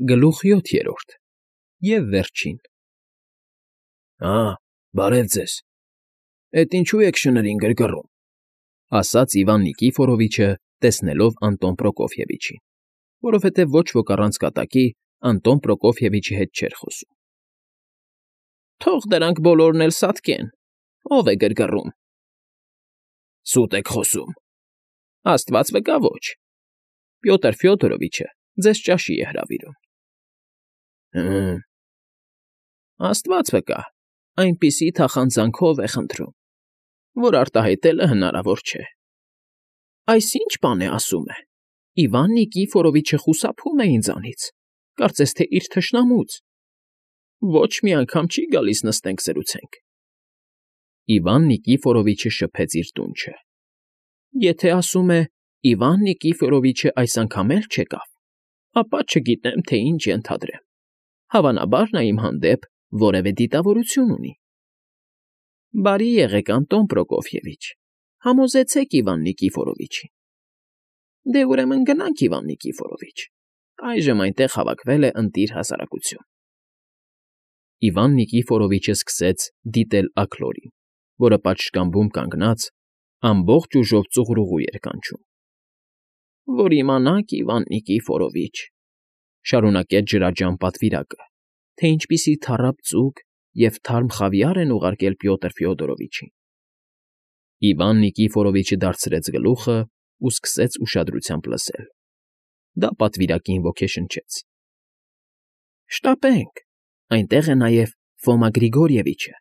Գլուխ 7 և վերջին։ Բարև ձեզ, էդ ինչու եք շներին գրգռում,֊ ասաց Իվան Նիկիֆորովիչը, տեսնելով Անտոն Պրոկոֆիևիչին, որովհետև ոչ ոք առանց կատակի Անտոն Պրոկոֆիևիչի հետ չէր խոսում։ Թող դրանք բոլորն էլ սատկեն, ով է գրգռում։ Սուտ եք խոսում, Աստված վկա ոչ, Պյոտր Ֆյոդորովիչը ձեզ ճաշի է հրավիրում։ Աստված վկա, այնպիսի թախանձանքով է խնդրում, որ արտահայտելը հնարավոր չէ։ Այս ի՞նչ բան է ասում է, Իվան Նիկիֆորովիչը խուսափում է ինձանից, կարծես թե իր թշնամուց, ոչ մի անգամ չի գալիս նստենք զրուցենք։ Իվան Նիկիֆորովիչը շփեց իր դունչը։ Եթե ասում է Իվան Նիկիֆորովիչը այս անգամ էլ չեկավ, ապա չգիտեմ, թե ինչ ենթադրեմ, հավանաբար նա իմ հանդեպ որևէ դիտավորություն ունի։ Բարի եղեք, Անտոն Պրոկոֆիևիչ, համոզեցեք Իվան Նիկիֆորովիչին։ Դե ուրեմն գնանք, Իվան Նիկիֆորովիչ, այժմ այնտեղ հավաքվել է ընտիր հասարակություն։ Իվան Նիկիֆորովիչը սկսեց դիտել աքլորին, որը պատշգամբում կանգնած ամբողջ ուժով ծուղրուղու էր կանչում։ Որ իմանաք, Իվան Նիկիֆորովիչ, շարունակեց ջրաջան պատվիրակը, թե ինչպիսի թառապ ձուկ և թարմ խավիար են ուղարկել Պյոտր Ֆյոդորովիչին։ Իվան Նիկիֆորովիչը դարձրեց գլուխը ու սկսեց ուշադրությամբ լսել։ Դա պատվիրակին ոգեշնչեց։ Շտապենք, այնտեղ է նաև Ֆոմա Գրիգորիևիչը։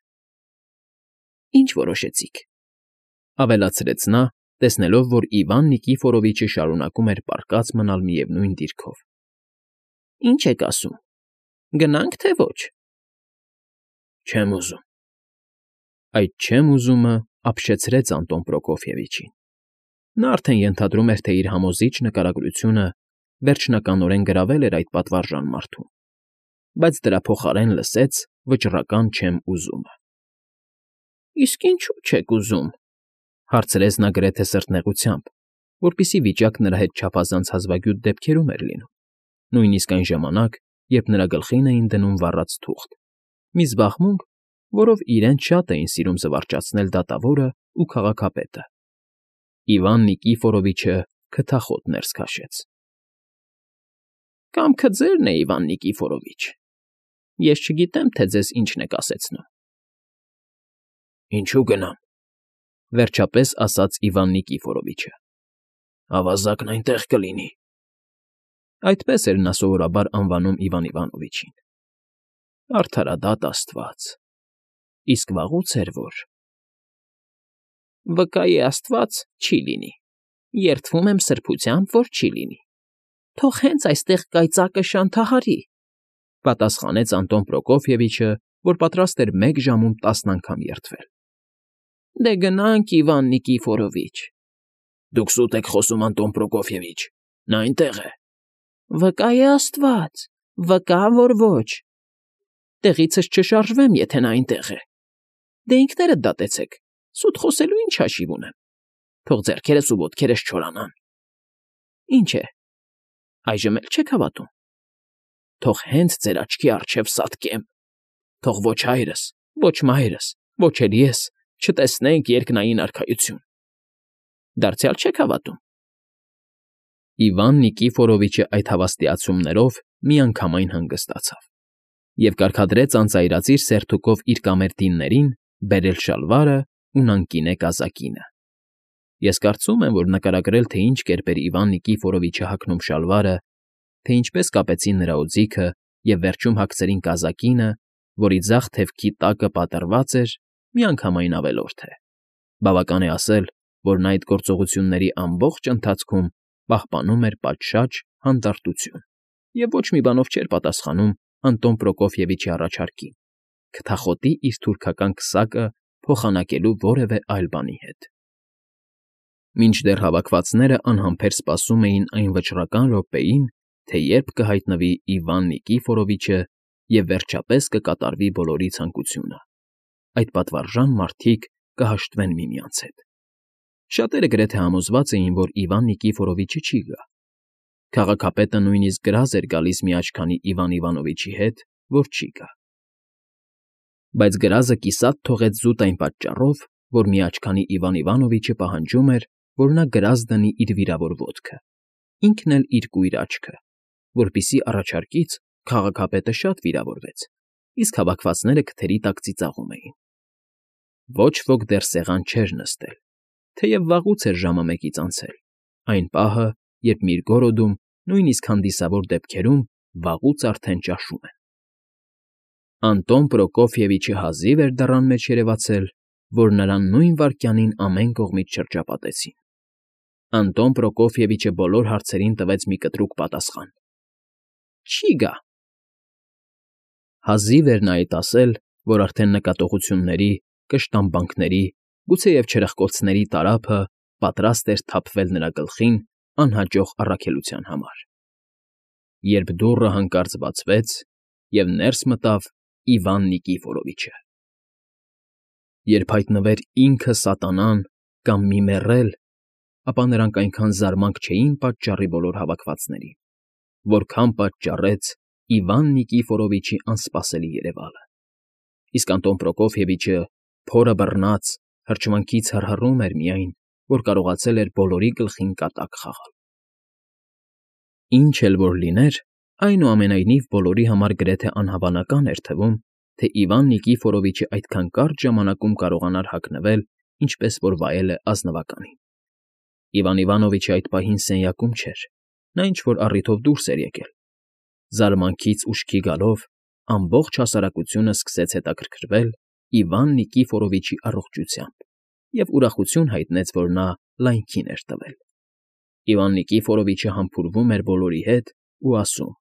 Ինչ որոշեցիք,֊ ավելացրեց նա, տեսնելով, որ Իվան Նիկիֆորովիչը շարունակում էր պառկած մնալ միևնույն դիրքով։ Ինչ եք ասում, գնա՞նք, թե ոչ։ Չեմ ուզում։ Այդ չեմ ուզումը ապշեցրեց Անտոն Պրոկոֆիևիչին։ Նա արդեն ենթադրում էր, թե իր համոզիչ նկարագրությունը վերջնականորեն գրավել էր այդ պատվարժան մարդուն, բայց դրա փոխարեն լսեց վճռական չեմ ուզումը։ Իսկ ինչու՞ չեք ուզում,֊ հարցրեց նա գրեթե սրտնեղությամբ, որպիսի վիճակը նրա հետ չափազանց հազվագյուտ դեպքերում էր լինում, նույնիսկ այն ժամանակ, երբ նրա գլխին էին դնում վառած թուղթ, մի զբաղմունք, որով իրենց շատ էին սիրում զվարճացնել դատավորն ու քաղաքապետը։ Իվան Նիկիֆորովիչը քթախոտ ներս քաշեց։ Կամքը ձերն է, Իվան Նիկիֆորովիչ, ես չգիտեմ, թե ձեզ ինչն է կասեցնում։ Ինչու գնամ,֊ վերջապես ասաց Իվան Նիկիֆորովիչը։ Ավազակն այնտեղ կլինի։ Այդպես էր նա սովորաբար անվանում Իվան Իվանովիչին։ Արդարադատ աստված, իսկ վաղուց էր որ… Վկայի աստված չի լինի, երդվում եմ սրբությամբ, որ չի լինի։ Թող հենց այստեղ կայծակը շանթահարի,֊ պատասխանեց Անտոն Պրոկոֆիևիչը, որ պատրաստ էր 1 ժամում 10 անգամ երդվել։ Դե գնանք, Իվան Նիկիֆորովիչ։ Դուք սուտ եք խոսում, Անտոն Պրոկոֆիևիչ, նա այնտեղ է։ Վկայի աստված, վկա, որ ոչ։ Տեղիցս չշարժվեմ, եթե նա այնտեղ է։ Դե ինքներդ դատեցեք, սուտ խոսելու ինչ հաշիվ ունեմ։ Թող ձեռքերս ու ոտքերս չորանան։ Ինչ է, այժմ էլ չեք հավատում։ Թող հենց ձեր աչքի առջև սատկեմ։ Թող ոչ հայրս, ոչ մայրս, ոչ էլ ես չտեսնենք երկնային արքայություն։ Դարձյալ չեք հավատում։ Իվան Նիկիֆորովիչը այդ հավաստիացումներով միանգամայն հանգստացավ և կարգադրեց անծայրածիր սերթուկով իր կամերտիններին բերել շալվարը ու նանկինե կազակինը։ Ես կարծում եմ, որ նկարագրել, թե ինչ կերպ էր Իվան Նիկիֆորովիչը հագնում շալվարը, թե ինչպես կապեցին նրա օձիքը և վերջում հագցրին կազակինը, որի ձախ թևքի տակը պատռված էր, միանգամայն ավելորդ է։ Բավական է ասել, որ նա այդ գործողությունների ամբողջ ընթացքում պահպանում էր պատշաճ հանդարտություն և ոչ մի բանով չէր պատասխանում Անտոն Պրոկոֆիևիչի առաջարկին՝ քթախոտի իր թուրքական քսակը փոխանակելու որևէ այլ բանի հետ։ Մինչդեռ հավաքվածները անհամբեր սպասում էին այն վճռական րոպեին, թե երբ կհայտնվի Իվան Նիկիֆորովիչը և վերջապես կկատարվի բոլորի ցանկությունը, այդ պատվարժան մարդիկ կհաշտվեն միմյանց հետ։ Շատերը գրեթե համոզված էին, որ Իվան Նիկիֆորովիչը չի գա։ Քաղաքապետը նույնիսկ գրազ էր գալիս մի աչքանի Իվան Իվանովիչի հետ, որ չի գա։ Բայց գրազը կիսատ թողեց զուտ այն պատճառով, որ մի աչքանի Իվան Իվանովիչը պահանջում էր, որ նա գրազ դնի իր վիրավոր ոտքը, ինքն էլ իր կույր աչքը, որպիսի առաջարկից քաղաքապետը շատ վիրավորվեց, իսկ հավաքվածները քթերի տակ ծիծաղում էին։ Ոչ ոք դեռ սեղան չէր նստել, թեև վաղուց էր ժամը 1-ից անցել, այն պահը, երբ Միրգորոդում, նույնիսկ հանդիսավոր դեպքերում վաղուց արդեն ճաշում են։ Անտոն Պրոկոֆիևիչը հազիվ էր դռան մեջ երևացել, որ նրան նույն վայրկյանին ամեն կողմից շրջապատեցին։ Անտոն Պրոկոֆիևիչը բոլոր հարցերին տվեց մի կտրուկ պատասխան. «Չի գա»։ Հազիվ էր նա այդ ասել, որ արդեն նկատողությունների, կշտամբանքների, գուցեև չրպկոցների տարափը պատրաստ էր թափվել նրա գլխին անհաջող առաքելության համար, երբ դուռը հանկարծ բացվեց, և ներս մտավ Իվան Նիկիֆորովիչը։ Երբ հայտնվեր ինքը սատանան կամ մի մեռել, ապա նրանք այնքան զարմանք չէին պատճառի բոլոր հավաքվածներին, որքան պատճառեց Իվան Նիկիֆորովիչի անսպասելի երևալը։ Իսկ Անտոն Պրոկոֆիևիչը, փորը բռնած, հրճվանքից հռհռում էր միայն, որ կարողացել էր բոլորի գլխին կատակ խաղալ։ Ինչ էլ որ լիներ, այնուամենայնիվ բոլորի համար գրեթե անհավանական էր թվում, թե Իվան Նիկիֆորովիչը այդքան կարճ ժամանակում կարողանար հագնվել, ինչպես որ վայել է ազնվականին։ Իվան Իվանովիչը այդ պահին սենյակում չէր, նա ինչ֊որ առիթով դուրս էր եկել։ Զարմանքից ուշքի գալով, ամբողջ հասարակությունը սկսեց հետաքրքրվել Իվան Նիկիֆորովիչի առողջությամբ և ուրախություն հայտնեց, որ նա լայնքին էր տվել։ Իվան Նիկիֆորովիչը համբուրվում էր բոլորի հետ ու ասում.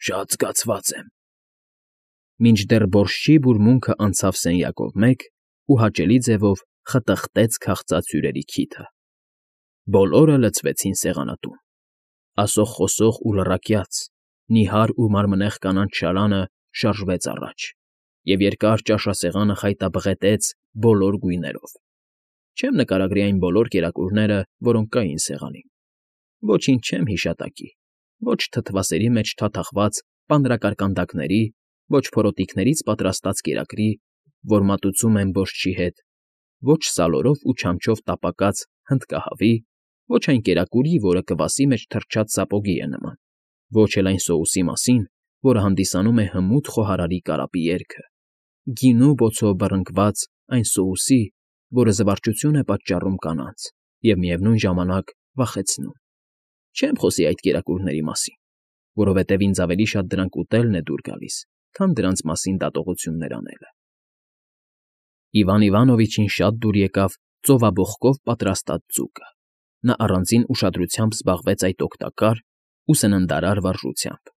«Շատ զգացված եմ»։ Մինչդեռ բոռչի բուրմունքը անցավ սենյակով մեկ ու հաճելի ձևով խտխտեց քաղցած հյուրերի քիթը։ Բոլորը լցվեցին սեղանատուն։ Ասող֊խոսող ու լռակյաց, նիհար ու մարմնեղ կանանց շարանը շարժվեց առաջ, և երկար ճաշասեղանը խայտաբղետեց բոլոր գույներով։ Չեմ նկարագրի այն բոլոր կերակուրները, որոնք կային սեղանին։ Ոչինչ չեմ հիշատակի, ոչ թթվասերի մեջ թաթախված պանրակարկանդակների, ոչ փորոտիքներից պատրաստած կերակրի, որ մատուցում են բոռչի հետ, ոչ սալորով ու չամչով տապակած հնդկահավի, ոչ այն կերակուրի, որը կվասի մեջ թրջած սապոգի է նման, ոչ էլ այն սոուսի մասին, որը հանդիսանում է հմուտ խոհարարի կարապի երգը, գինու բոցով բռնկված այն սոուսի, որը զվարճություն է պատճառում կանանց և միևնույն ժամանակ վախեցնում։ Չեմ խոսի այդ կերակուրների մասին, որովհետև ինձ ավելի շատ դրանք ուտելն է դուր գալիս, քան դրանց մասին դատողություններ անելը։ Իվան Իվանովիչին շատ դուր եկավ ծովաբոխկով պատրաստած ձուկը։ Նա առանձին ուշադրությամբ զբաղվեց այդ օգտակար ու սննդարար վարժությամբ։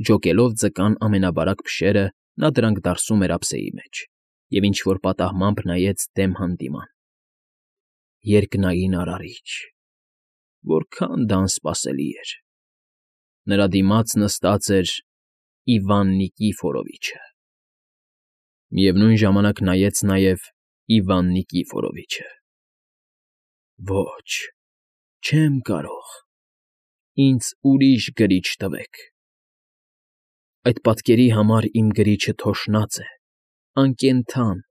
Ջոկելով ձկան ամենաբարակ փշերը, նա դրանք դարսում էր ափսեի մեջ և ինչ֊որ պատահմամբ նայեց դեմ հանդիման։ Երկնային արարիչ… Որքան դա անսպասելի էր… Նրա դիմաց նստած էր Իվան Նիկիֆորովիչը։ Միևնույն ժամանակ նայեց նաև Իվան Նիկիֆորովիչը։ Ոչ, չեմ կարող… Ինձ ուրիշ գրիչ տվեք… Այդ պատկերի համար իմ գրիչը թոշնած է, անկենդան,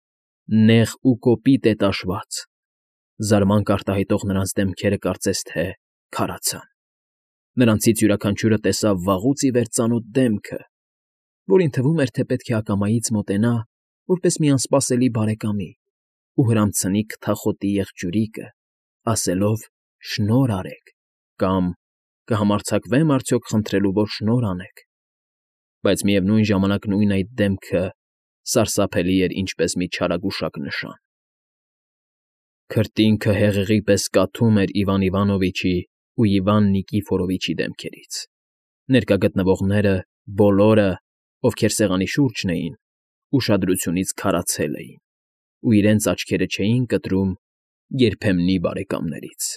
նեղ ու կոպիտ է տաշված… Զարմանք արտահայտող նրանց դեմքերը կարծես թե քարացան։ Նրանցից յուրաքանչյուրը տեսավ վաղուց ի վեր ծանոթ դեմքը, որին թվում էր, թե պետք է ակամայից մոտենա, որպես մի անսպասելի բարեկամի, ու հրամցնի քթախոտի եղջյուրիկը, ասելով. «Շնորհ արեք» կամ «Կհամարձակվե՞մ արդյոք խնդրելու, որ շնորհ անեք»։ Բայց միևնույն ժամանակ նույն այդ դեմքը սարսափելի էր ինչպես մի չարագուշակ նշան։ Քրտինքը հեղեղի պես կաթում էր Իվան Իվանովիչի ու Իվան Նիկիֆորովիչի դեմքերից։ Ներկա գտնվողները բոլորը, ովքեր սեղանի շուրջն էին, ուշադրությունից քարացել էին ու իրենց աչքերը չէին կտրում երբեմնի բարեկամներից։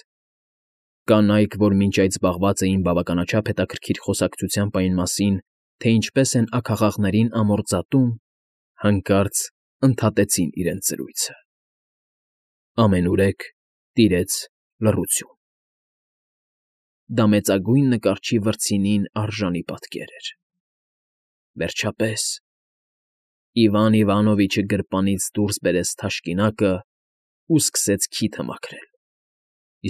Կանայք, որ մինչ այդ զբաղված էին բավականաչափ հետաքրքիր խոսակցությամբ այն մասին, թե ինչպես են աքաղաղներին ամորձատում, հանկարծ ընդհատեցին իրենց զրույցը։ Ամենուրեք տիրեց լռություն։ դա մեծագույն նկարչի վրձինին արժանի պատկեր էր։ Վերջապես Իվան Իվանովիչը գրպանից դուրս բերեց թաշկինակը ու սկսեց քիթը մաքրել,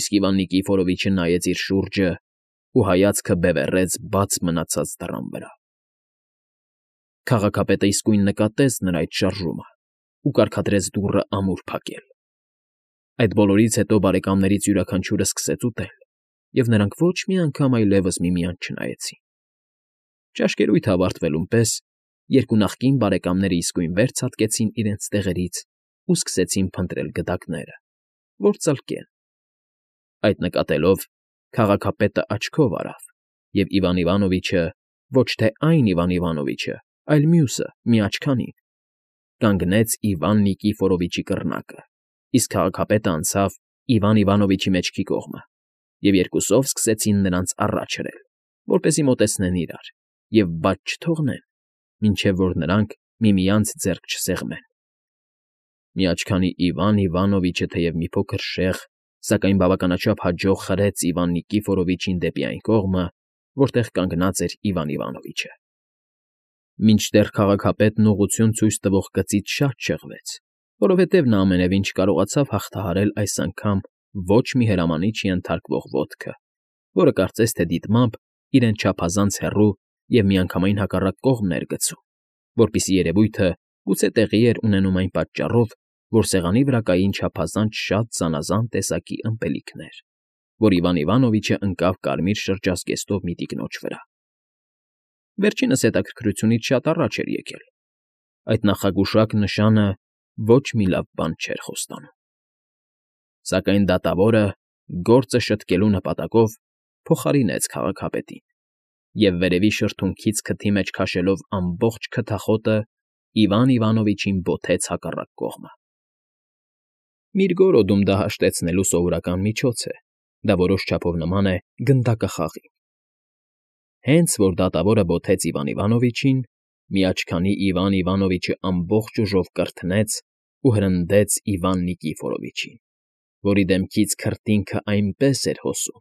իսկ Իվան Նիկիֆորովիչը նայեց իր շուրջը ու հայացքը բևեռեց բաց մնացած դռան վրա։ Քաղաքապետը իսկույն նկատեց նրա այդ շարժումը ու կարգադրեց դուռը ամուր փակել։ Այդ բոլորից հետո բարեկամներից յուրաքանչյուրը սկսեց ուտել, և նրանք ոչ մի անգամ այլևս միմյանց չնայեցին։ Ճաշկերույթը ավարտվելուն պես երկու նախկին բարեկամները իսկույն վեր ցատկեցին իրենց տեղերից ու սկսեցին փնտրել գդակները, որ ծլկեն։ Այդ նկատելով քաղաքապետը աչքով արավ, և Իվան Իվանովիչը, ոչ թե այն Իվան Իվանովիչը, այլ մյուսը, միաչքանին, կանգնեց Իվան Նիկիֆորովիչի կռնակը, իսկ քաղաքապետը անցավ Իվան Իվանովիչի մեջքի կողմը, և երկուսով սկսեցին նրանց առաջ հրել, որպեսզի մոտեցնեն իրար և բաց չթողնեն, մինչև որ նրանք միմյանց ձեռք չսեղմեն։ Միաչքանի Իվան Իվանովիչը թեև մի փոքր շեղ, սակայն բավականաչափ հաջող խրեց Իվան Նիկիֆորովիչին դեպի այն կողմը, որտեղ կանգնած էր Իվան Իվանովիչը։ Մինչդեռ քաղաքապետն ուղղություն ցույց տվող գծից շատ շեղվեց, որովհետև նա ամենևին չկարողացավ հաղթահարել այս անգամ ոչ մի հրամանիչի ենթարկվող ոտքը, որը կարծես թե դիտմամբ իրեն չափազանց հեռու և միանգամայն հակառակ կողմն էր գցում, որպիսի երևույթը գուցե տեղի էր ունենում այն պատճառով, որ սեղանի վրա կային չափազանց շատ զանազան տեսակի ըմպելիքներ, որ Իվան Իվանովիչը ընկավ կարմիր շրջազգեստով մի տիկնոջ վրա։ Վերջինս հետաքրքրությունից շատ առաջ էր եկել։ Այդ նախագուշակ նշանը ոչ մի լավ բան չէր խոստանում։ Սակայն դատավորը, գործը շտկելու նպատակով, փոխարինեց քաղաքապետին և վերևի շրթունքից քթի մեջ քաշելով ամբողջ քթախոտը Իվան Իվանովիչին բոթեց հակառակ կողմը։ Միրգորոդում դա հաշտեցնելու սովորական միջոց է, դա որոշ չափով նման է գնդակահաղի։ Հենց որ դատավորը բոթեց Իվան Իվանովիչին, միաչքանի Իվան Իվանովիչը ամբողջ ուժով կրթնեց ու հրնդեց Իվան Նիկիֆորովիչին, որի դեմքից քրտինքը այնպես էր հոսում,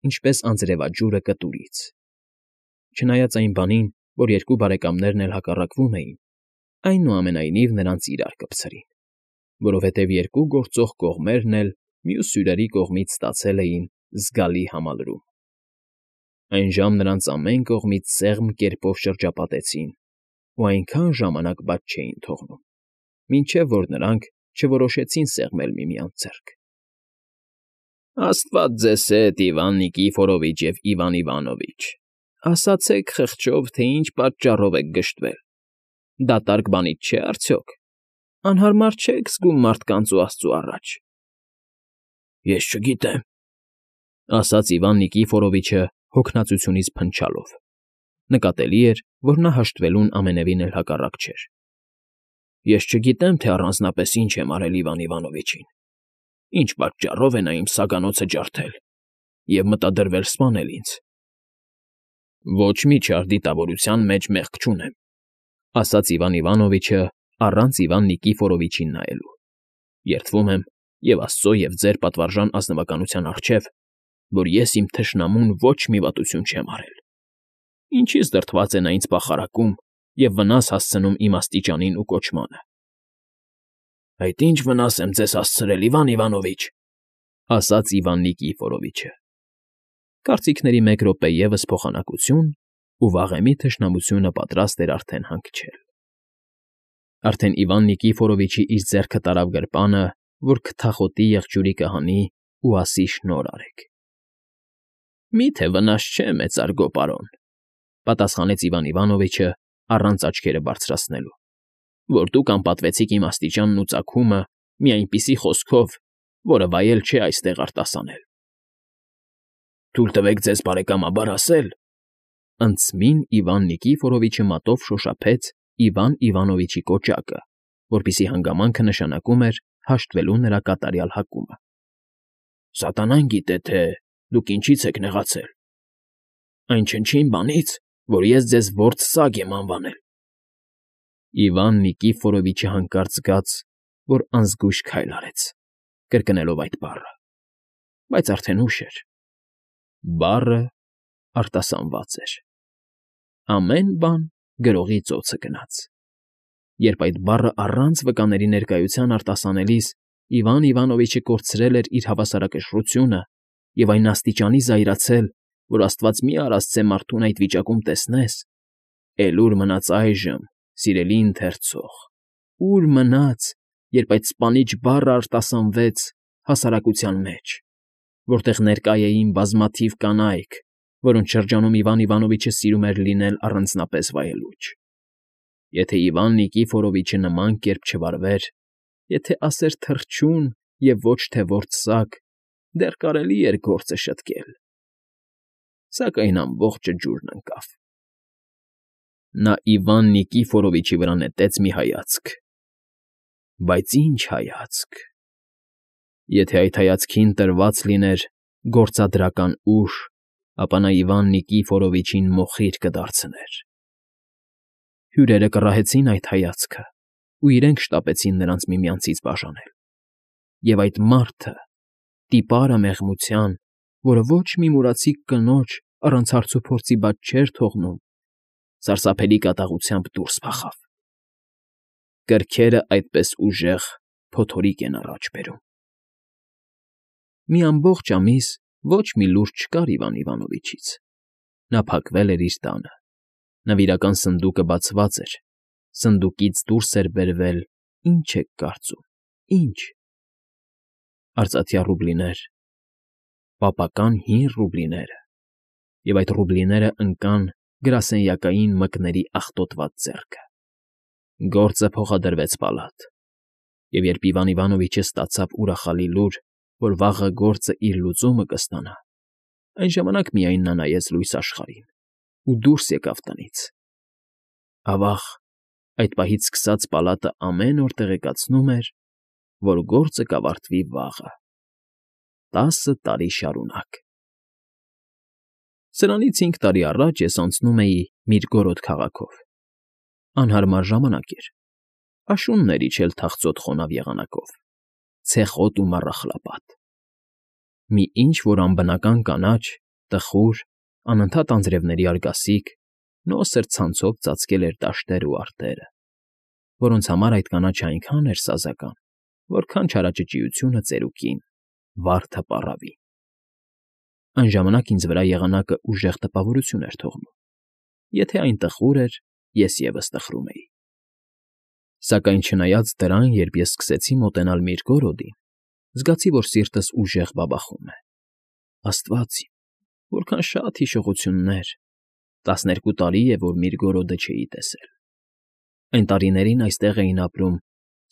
ինչպես անձրևաջուրը կտուրից։ Չնայած այն բանին, որ երկու բարեկամներն էլ հակառակվում էին, այնուամենայնիվ նրանց իրար կպցրին, որովհետև երկու գործող կողմերն էլ մյուս հյուրերի կողմից ստացել էին զգալի համալրում։ Այն ժամ նրանց ամեն կողմից սեղմ կերպով շրջապատեցին ու այնքան ժամանակ բաց չէին թողնում, մինչև որ նրանք չորոշեցին սեղմել միմյանց ձեռք։ Աստված ձեզ հետ, Իվան Նիկիֆորովիչ և Իվան Իվանովիչ, ասացեք խղճով, թե ինչ պատճառով եք գժտվել, դատարկ բանից չէ՞ արդյոք, անհարմար չեք զգում մարդկանց ու աստծու առաջ։ Ես չգիտեմ, ասաց Իվան Նիկիֆորովիչը հոգնածությունից փնչալով. նկատելի էր, որ նա հաշտվելուն ամենևին էլ հակառակ չէր։ Ես չգիտեմ, թե առանձնապես ինչ եմ արել Իվան Իվանովիչին, ինչ պատճառով է նա իմ սագանոցը ջարդել և մտադրվել սպանել ինձ։ Ոչ մի չար դիտավորության մեջ մեղք չունեմ, ասաց Իվան Իվանովիչը առանց Իվան Նիկիֆորովիչին նայելու։ Երդվում եմ և աստծո և ձեր պատվարժան ազնվականության առջև, որ ես իմ թշնամուն ոչ մի վատություն չեմ արել։ Ինչից դրդված է նա ինձ պախարակում և վնաս հասցնում իմ աստիճանին ու կոչմանը։ Այդ ի՞նչ վնաս եմ ձեզ հասցրել, Իվան Իվանովիչ, ասաց Իվան Նիկիֆորովիչը։ Կարծիքների մեկ րոպե ևս փոխանակություն, ու վաղեմի թշնամությունը պատրաստ էր արդեն հանգչել։ Արդեն Իվան Նիկիֆորովիչի իր ձեռքը տարավ գրպանը, որ քթախոտի եղջյուրի կհանի ու ասի շնորհ արեք։ Մի՞թե վնաս չէ, մեծարգո պարոն, պատասխանեց Իվան Իվանովիչը առանց աչքերը բարձրացնելու, որ դուք անպատվեցիք իմ աստիճանն ու ծագումը մի այնպիսի խոսքով, որը վայել չէ այստեղ արտասանել։ Թույլ տվեք ձեզ բարեկամաբար ասել, ընծմին Իվան Նիկիֆորովիչը մատով շոշափեց Իվան Իվանովիչի կոճակը, որպիսի հանգամանքը նշանակում էր հաշտվելու նրա կատարյալ հակումը։ Սատանան գիտե, թե դուք ինչից եք նեղացել։ Այն չնչին բանից, որ ես ձեզ որբ սագ եմ անվանել։ Իվան Նիկիֆորովիչը հանկարծ զգաց, որ անզգույշ քայլ արեց, կրկնելով այդ բառը, բայց արդեն ուշ էր։ Բառը արտասանված էր։ Ամեն բան գրողի ծոցը գնաց։ Երբ այդ բառը առանց վկաների ներկայության արտասանելիս Իվան Իվանովիչը կորցրել էր իր հավասարակշռությունը և այն աստիճանի զայրացել, որ աստված մի արասցե մարդուն այդ վիճակում տեսնես, էլ ուր մնաց այժմ, սիրելի ընթերցող, ուր մնաց, երբ այդ սպանիչ բառը արտասանվեց հասարակության մեջ, որտեղ ներկա էին բազմաթիվ կանայք, որոնց շրջանում Իվան Իվանովիչը սիրում էր լինել առանձնապես վայելուչ։ Եթե Իվան Նիկիֆորովիչը նման կերպ չվարվեր, եթե ասեր թռչուն և ոչ թե որսակ, դեռ կարելի էր գործը շտկել։ Սակայն ամբողջը ջուրն ընկավ։ Նա Իվան Նիկիֆորովիչի վրա նետեց մի հայացք։ Բայց ի՞նչ հայացք։ Եթե այդ հայացքին տրված լիներ գործադրական ուժ, ապա նա Իվան Նիկիֆորովիչին մոխիր կդարձներ։ Հյուրերը կռահեցին այդ հայացքը ու իրենք շտապեցին նրանց միմյանցից բաժանել։ Եվ այդ մարդը, տիպարը մեղմության, որը ոչ մի մուրացիկ կնոջ առանց հարցուփորձի բաց չէր թողնում, սարսափելի կատաղությամբ դուրս փախավ։ Կրքերը այդպես ուժեղ փոթորիկ են առաջ բերում։ Մի ամբողջ ամիս ոչ մի լուր չկար Իվան Իվանովիչից։ Նա փակվել էր իր տանը։ Նվիրական սնդուկը բացված էր։ Սնդուկից դուրս էր բերվել, ինչ եք կարծում, ինչ։ Արծաթյա ռուբլիներ, պապական հին ռուբլիները, և այդ ռուբլիները ընկան գրասենյակային մկների աղտոտված ձեռքը։ Գործը փոխադրվեց պալատ, և երբ Իվան Իվանովիչը ստացավ ուրախալի լուր, որ վաղը գործը իր լուծումը կստանա, այն ժամանակ միայն նա նայեց լույս աշխարհին ու դուրս եկավ տնից։ Ավաղ, այդ պահից սկսած պալատը ամեն օր տեղեկացնում էր, որ գործը կավարտվի վաղը, 10 տարի շարունակ։ Սրանից 5 տարի առաջ ես անցնում էի Միրգորոդ քաղաքով։ Անհարմար ժամանակ էր։ Աշունն էր իջել թախծոտ խոնավ եղանակով, ցեխոտ ու մառախլապատ։ Մի ինչ֊որ անբնական կանաչ, տխուր, անընդհատ անձրևների արգասիկ, նոսր ցանցով ծածկել էր դաշտերը ու արտերը, որոնց համար այդ կանաչը այնքան էր սազական, որքան չարաճճիությունը ծերուկին, վարդը պառավին։ Այն ժամանակ ինձ վրա եղանակը ուժեղ տպավորություն էր թողնում։ Եթե այն տխուր էր, ես ևս տխրում էի։ Սակայն չնայած դրան, երբ ես սկսեցի մոտենալ Միրգորոդին, զգացի, որ սիրտս ուժեղ բաբախում է։ Աստված իմ, որքան շատ հիշողություններ, 12 տարի է, որ Միրգորոդը չէի տեսել։ Այն տարիներին այստեղ էին ապրում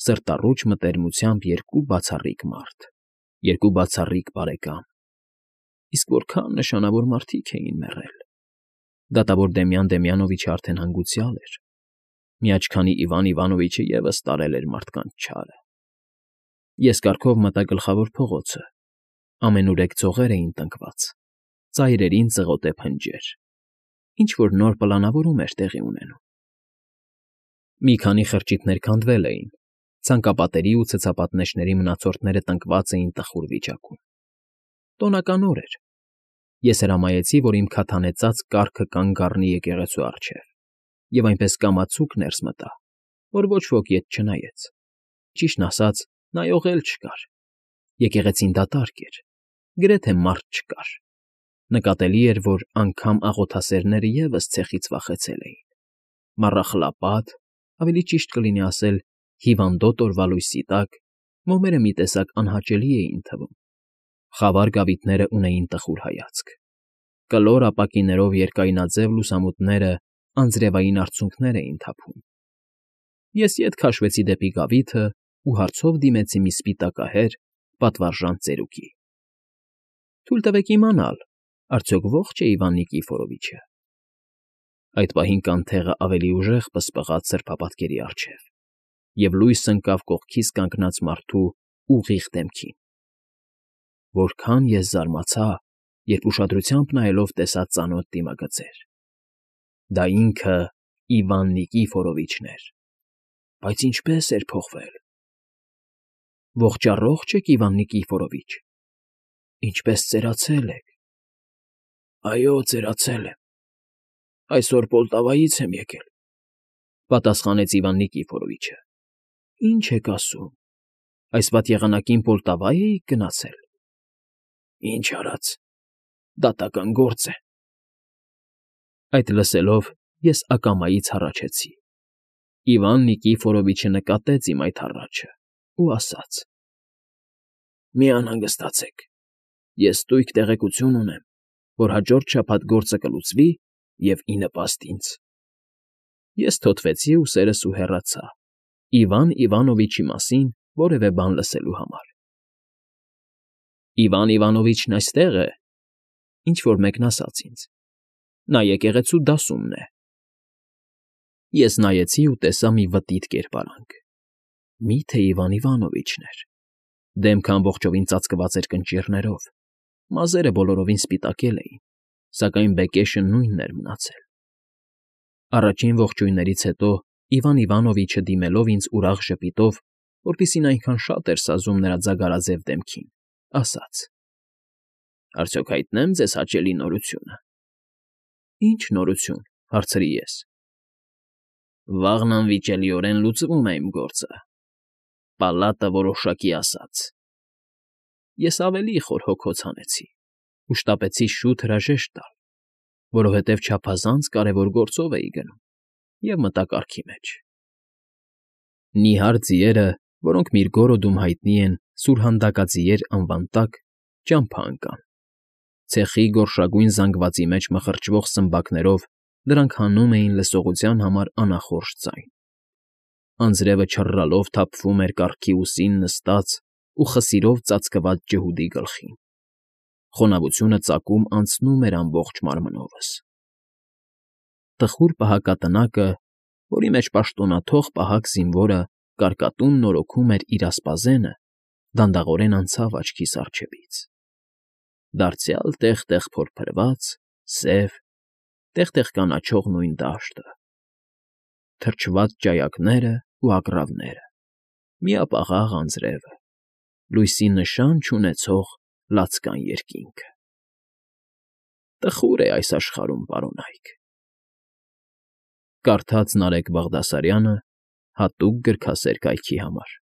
սրտառուչ մտերմությամբ երկու բացառիկ մարդ, երկու բացառիկ բարեկամ։ Իսկ որքան նշանավոր մարդիկ էին մեռել։ Դատավոր Դեմյան Դեմյանովիչը արդեն հանգուցյալ էր։ Միաչքանի Իվան Իվանովիչը ևս տարել էր մարդկանց չարը։ Ես կառքով մտա գլխավոր փողոցը։ Ամենուրեք ծողեր էին տնկված, ծայրերին ծղոտե փնջեր։ Ինչ-որ նոր պլանավորում էր տեղի ունենում։ Մի քանի խրճիթներ քանդվել էին, ցանկապատերի ու ցցապատնեշների մնացորդները տնկված էին տխուր վիճակում։ Տոնական օր էր։ Ես հրամայեցի, որ իմ քաթանեցած կառքը կանգ առնի եկեղեցու առջև, և այնպես կամացուկ ներս մտա, որ ոչ ոք ետ չնայեց։ Ճիշտն ասած, նայող էլ չկար։ Եկեղեցին դատարկ էր, գրեթե մարդ չկար։ Նկատելի էր, որ անգամ աղոթասերները ևս ցեխից վախեցել էին։ Մառախլապատ, ավելի ճիշտ կլինի ասել հիվանդոտ օրվա լույսի տակ, մոմերը մի տեսակ անհաճելի էին թվում։ Խավար գավիթները ունեին տխուր հայացք։ Կլոր ապակիներով երկայնաձև լուսամուտները անձրևային արցունքներ էին թափում։ Ես ետ քաշվեցի դեպի գավիթը ու հարցով դիմեցի մի սպիտակահեր, պատվարժան ծերուկի։ Թույլ տվեք իմանալ, արդյոք ողջ է Իվան Նիկիֆորովիչը։ Այդ պահին կանթեղը ավելի ուժեղ պսպղաց սրբապատկերի առջև, և լույս ընկավ կողքիս կանգնած մարդու ուղիղ դեմքին։ Որքան ես զարմացա, երբ ուշադրությամբ նայելով տեսա ծանոթ դիմագծեր։ Դա ինքը Իվան Նիկիֆորովիչն էր։ Բայց ինչպե՜ս էր փոխվել։ Ողջ առողջ եք, Իվան Նիկիֆորովիչ, ինչպե՜ս ծերացել եք։ Այո, ծերացել եմ։ Այսօր Պոլտավայից եմ եկել,֊ պատասխանեց Իվան Նիկիֆորովիչը։ Ինչ եք ասում, այս վատ եղանակին Պոլտավա էիք գնացել։ Ինչ արած, դատական գործ է։ Այդ լսելով ես ակամայից հառաչեցի։ Իվան Նիկիֆորովիչը նկատեց իմ այդ հառաչը ու ասաց. «Մի անհանգստացեք, ես ստույգ տեղեկություն ունեմ, որ հաջորդ շաբաթ գործը կլուծվի և ի նպաստ ինձ»։ Ես թոթվեցի ուսերս ու հեռացա, Իվան Իվանովիչի մասին որևէ բան լսելու համար։ Իվան Իվանովիչն այստեղ է, ինչ֊որ մեկն ասաց ինձ. նա եկեղեցու դասումն է։ Ես նայեցի ու տեսա մի վտիտ կերպարանք։ Մի՞թե Իվան Իվանովիչն էր։ Դեմքը ամբողջովին ծածկված էր կնճիռներով, մազերը բոլորովին սպիտակել էին, սակայն բեկեշը նույնն էր մնացել։ Առաջին ողջույններից հետո Իվան Իվանովիչը դիմելով ինձ ուրախ ժպիտով, որպեսզի այնքան շատ էր սազում նրա ձագարաձև դեմքին, ասաց. «Արդյոք հայտնե՞մ ձեզ հաճելի նորությունը»։ «Ի՞նչ նորություն,֊ հարցրի ես։ «Վաղն անվիճելիորեն լուծվում է իմ գործը, պալատը որոշակի ասաց»։ Ես ավելի խոր հոգոց հանեցի ու շտապեցի շուտ հրաժեշտ տալ, որովհետև չափազանց կարևոր գործով էի գնում, և մտա կառքի մեջ։ Նիհար ձիերը, որոնք Միրգորոդում հայտնի են Սուրհանդակաձիեր անվան տակ, ճամփա ընկան։ Ցեխի գորշագույն զանգվածի մեջ մխրճվող սմբակներով դրանք հանում էին լսողության համար անախորժ ձայն։ Անձրևը չռռալով թափվում էր կառքի ուսին նստած ու խսիրով ծածկված ջհուդի գլխին։ Խոնավությունը ծակում անցնում էր ամբողջ մարմնովս։ Տխուր պահակատնակը, որի մեջ պաշտոնաթող պահակ զինվորը կարկատուն նորոգում էր իր ասպազենը, դանդաղորեն անցավ աչքիս առջևից։ Դարձյալ տեղ֊տեղ փորփրված, սև, տեղ֊տեղ կանաչող նույն դաշտը, թրջված ճայակներն ու ագռավները, միապաղաղ անձրևը, լույսի նշան չունեցող լացկան երկինքը։ Տխուր է այս աշխարհում, պարոնայք։ Կարդաց Նարեկ Բաղդասարյանը հատուկ գրքասեր կայքի համար։